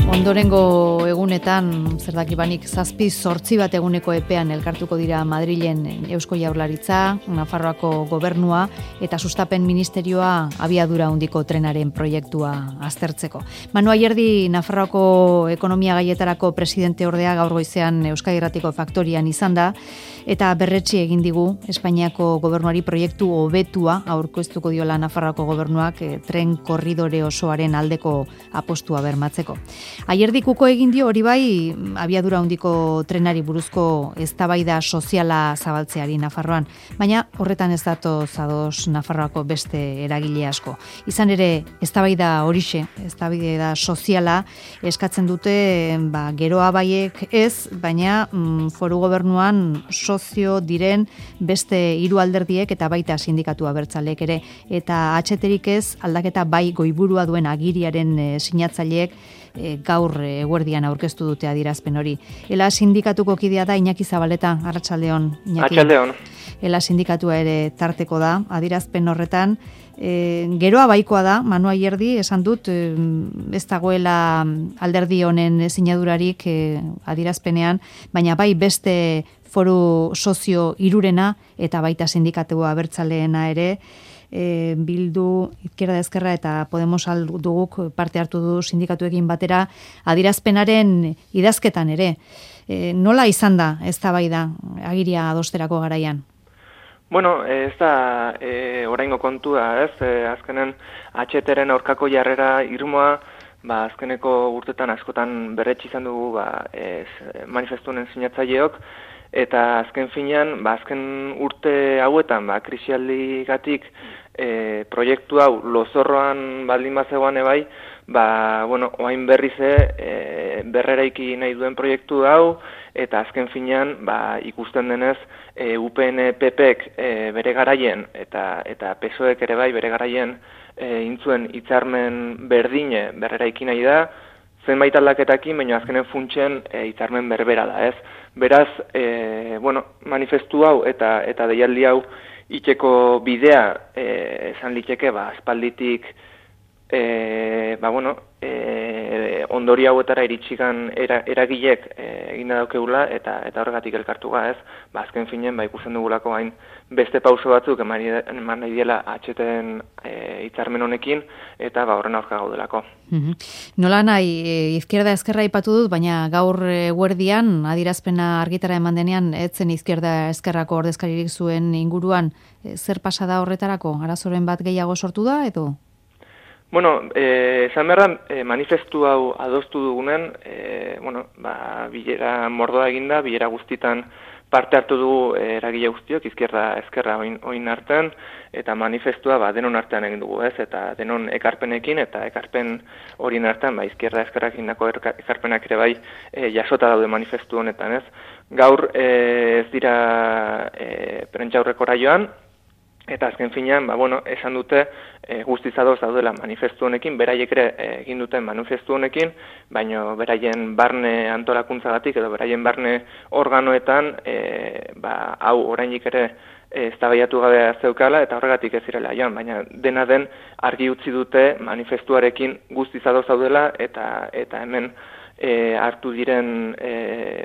Ondorengo egunetan, zer dakibanik, 7-8 bat eguneko epean elkartuko dira Madrilen Eusko Jaurlaritza, Nafarroako gobernua eta sustapen ministerioa abiadura handiko trenaren proiektua aztertzeko. Manu Ayerdi Nafarroako ekonomia gaietarako presidente ordea gaur goizean Euskadi Irratiko faktorian izan da eta berretsi egin digu Espainiako gobernuari proiektu hobetua aurkeztuko diola Nafarroako gobernuak tren korridore osoaren aldeko apostua bermatzeko. Aierdikuko egin dio hori bai abiadura handiko trenari buruzko eztabaida soziala zabaltzeari Nafarroan, baina horretan ez datoz ados Nafarroako beste eragile asko. Izan ere, eztabaida horixe, eztabaida soziala eskatzen dute geroa baiek ez, baina foru gobernuan sozio diren beste 3 alderdiek eta baita sindikatu abertzaleek ere, eta atxeterik ez aldaketa bai goiburua duen agiriaren sinatzaileek gaur eguerdian aurkeztu dute adierazpen hori. Ela sindikatuko kidea da Iñaki Zabaleta, arratsaldeon. Arratsaldeon. Ela sindikatua ere tarteko da, adierazpen horretan. Geroa baikoa da, Manu Ayerdi, esan dut, ez dagoela alderdi honen sinadurarik adierazpenean, baina bai beste foru sozio 3 eta baita sindikatua abertzaleena ere, Bildu, Izquierda Ezkerra eta Podemos duguk parte hartu du sindikatuekin batera adierazpenaren idazketan ere. Nola izan da eztabaida agiria adosterako garaian? Bueno, ez da oraingo kontua, ez? Azkenen HTren aurkako jarrera irmoa, azkeneko urtetan askotan berretsi izan dugu manifestunen sinatzaileok, eta azken finean, azken urte hauetan, krisialdigatik proiektu hau lozorroan baldin bazegoan ebai, oain berrize berreraiki nahi duen proiektu hau, eta azken finean, ikusten denez, UPN PPek bere garaien, eta PSOEk ere bai bere garaien intzuen hitzarmen berdine berreraiki nahi da, zenbait aldaketakin, baina azkenen funtsen hitzarmen berbera da, ez? Beraz, manifestu hau eta deialdi hau itxeko bidea esan liteke, espalditik ondori hauetara iritsikan eragilek eginda daukegula eta horregatik elkartuga, ez? Azken finen, ikusten dugulako hain beste pauso batzuk eman nahi diela HTen hitzarmen honekin eta horren aurka gaudelako. Nola nahi, Izquierda Ezkerra aipatu dut, baina gaur eguerdian adierazpena argitara eman denean, etzen Izquierda Ezkerrako ordezkaririk zuen inguruan, zer pasa da horretarako? Arazoren bat gehiago sortu da, edo? Bueno, esan behar da, manifestu hau adostu dugunen, bilera mordoa eginda, bilera guztitan parte hartu dugu eragile guztiok, Izquierda Ezkerra oin artean, eta manifestua denon artean egin dugu, ez? Eta denon ekarpenekin, eta ekarpen horien artean, Izquierda Ezkerrak indako ekarpenak ere bai jasota daude manifestu honetan, ez? Gaur ez dira prentxaurrekora joan, eta azken finean, esan dute guztiz ados daudela manifestu honekin, beraiek ere egin duten manifestu honekin, baina beraien barne antolakuntzagatik edo beraien barne organoetan, hau orainik ere eztabaidatu gabe zeukala eta horregatik ez zirela joan, baina dena den argi utzi dute manifestuarekin guztiz ados daudela eta hemen hartu diren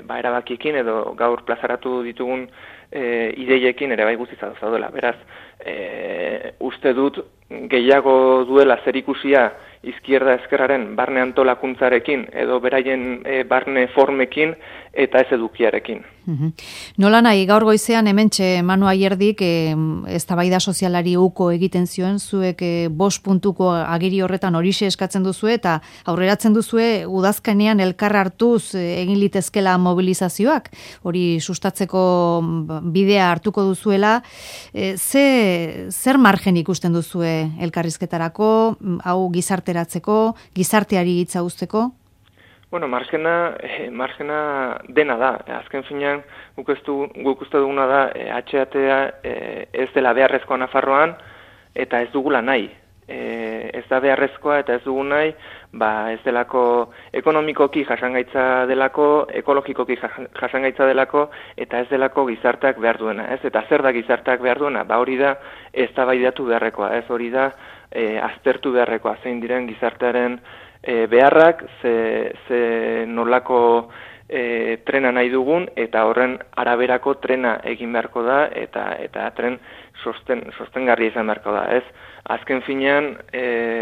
erabakiekin edo gaur plazaratu ditugun ideiekin ere bai guztiz ados daudela. Beraz, uste dut gehiago duela zerikusia Izquierda Ezkerraren barne antolakuntzarekin edo beraien barne formekin eta ez edukiarekin. Nola nahi, gaur goizean hementxe Manu Ayerdik eztabaida sozialari uko egiten zioen, zuek 5 puntuko agiri horretan horixe eskatzen duzue eta aurreratzen duzue udazkenean elkar hartuz egin litezkela mobilizazioak, hori sustatzeko bidea hartuko duzuela, zer margen ikusten duzue elkarrizketarako, hau gizarteratzeko, gizarteari hitza uzteko? Bueno, margena dena da. Azken finean, guk uste duguna da, HTA ez dela beharrezkoa Nafarroan, eta ez dugula nahi. Ez da beharrezkoa eta ez dugu nahi, ez delako ekonomikoki jasangaitza delako, ekologikoki jasangaitza delako, eta ez delako gizarteak behar duena. Ez? Eta zer da gizarteak behar duena? Hori da eztabaidatu beharrekoa, ez hori da aztertu beharrekoa, zein diren gizartearen beharrak, ze nolako trena nahi dugun, eta horren araberako trena egin beharko da, eta tren sostengarria izan beharko da, ez? Azken finean,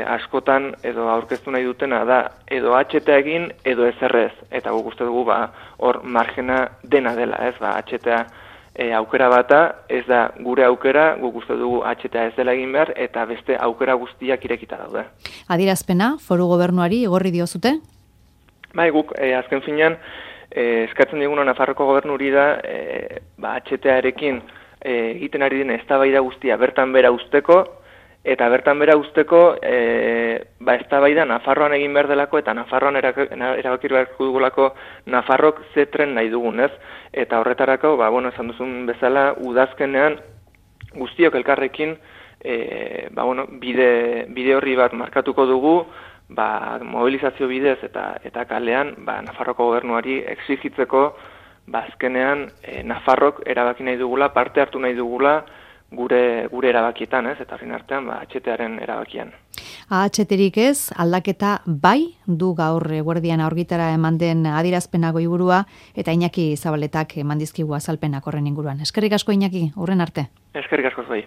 askotan edo aurkeztu nahi dutena da, edo HTA egin, edo ezerrez, eta guk uste dugu, hor margena dena dela, ez? HTA aukera bata, ez da gure aukera, guk uste dugu HTA ez dela egin behar, eta beste aukera guztiak irekita daude. Adierazpena, foru gobernuari igorri diozute? Bai, guk azken finean, eskatzen diguna Nafarroko gobernuri da, HTA-erekin egiten ari den eztabaida guztia bertan bera usteko, eta bertan bera usteko eztabaida Nafarroan egin behar delako, eta Nafarroan erabaki beharko dugulako Nafarrok ze tren nahi dugun, ez? Eta horretarako, esan duzun bezala, udazkenean guztiok elkarrekin bide horri bat markatuko dugu, mobilizazio bidez eta kalean Nafarroko gobernuari exigitzeko azkenean Nafarrok erabaki nahi dugula, parte hartu nahi dugula gure erabakietan, ez? Eta horren artean HTaren erabakian. AHTrik ez, aldaketa bai du gaur eguerdian aurgitara eman den adierazpena goiburua, eta Iñaki Zabaletak eman dizkigu azalpenak horren inguruan. Eskerrik asko Iñaki, hurren arte. Eskerrik asko zuei.